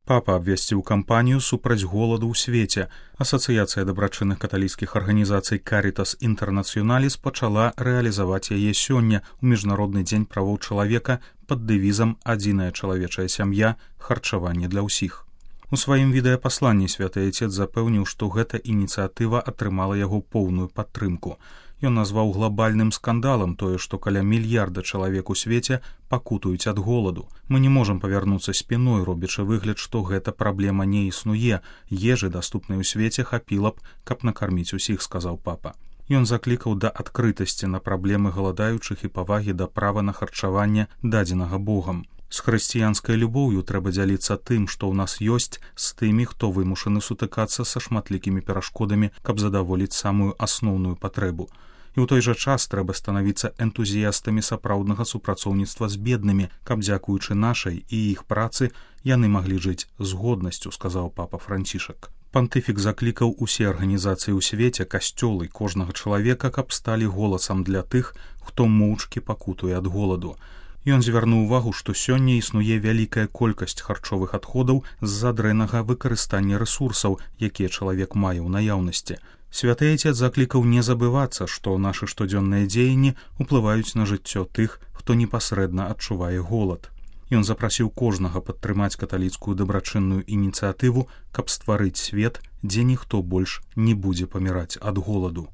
Папа абвясціў кампанію супраць голаду ў свеце. Асацыяцыя дабрачынных каталіцкіх арганізацый Caritas Internationalis пачала рэалізаваць яе сёння ў міжнародны дзень правоў чалавека пад дэвізам «Адзіная чалавечая сям'я. Харчаванне для ўсіх». У сваім відэапасланні святы Айцец запэўніў, што гэта ініцыятыва атрымала яго поўную падтрымку. Ён назваў глобальным скандалам тое, што каля мільярда чалавек у свеце пакутуюць ад голаду. Мы не можам павярнуцца спіной, робячы выгляд, што гэта праблема не існуе. Ежы, даступнай у свеце, хапіла б, каб накарміць усіх, сказаў папа. Ён заклікаў да адкрытасці на праблемы галадаючых і павагі да права на харчаванне, дадзенага Богам. З хрысціянскай любоўю трэба дзяліцца тым, што ў нас ёсць, з тымі, хто вымушаны сутыкацца са шматлікімі перашкодамі, каб задаволіць самую асноўную патрэбу. І ў той жа час трэба станавіцца энтузіястамі сапраўднага супрацоўніцтва з беднымі, каб, дзякуючы нашай і іх працы, яны маглі жыць з годнасцю, сказаў папа Францішак. Пантыфік заклікаў усе арганізацыі ў свеце, касцёлы, кожнага чалавека, каб сталі голасам для тых, хто моўчкі пакутуе ад голаду. Ён звярнуў увагу, што сёння існуе вялікая колькасць харчовых адходаў з-за дрэннага выкарыстання рэсурсаў, якія чалавек мае ў наяўнасці. Святы Айцец заклікаў не забывацца, што нашы штодзённыя дзеянні ўплываюць на жыццё тых, хто непасрэдна адчувае голад. Ён запрасіў кожнага падтрымаць каталіцкую дабрачынную ініцыятыву, каб стварыць свет, дзе ніхто больш не будзе паміраць ад голаду.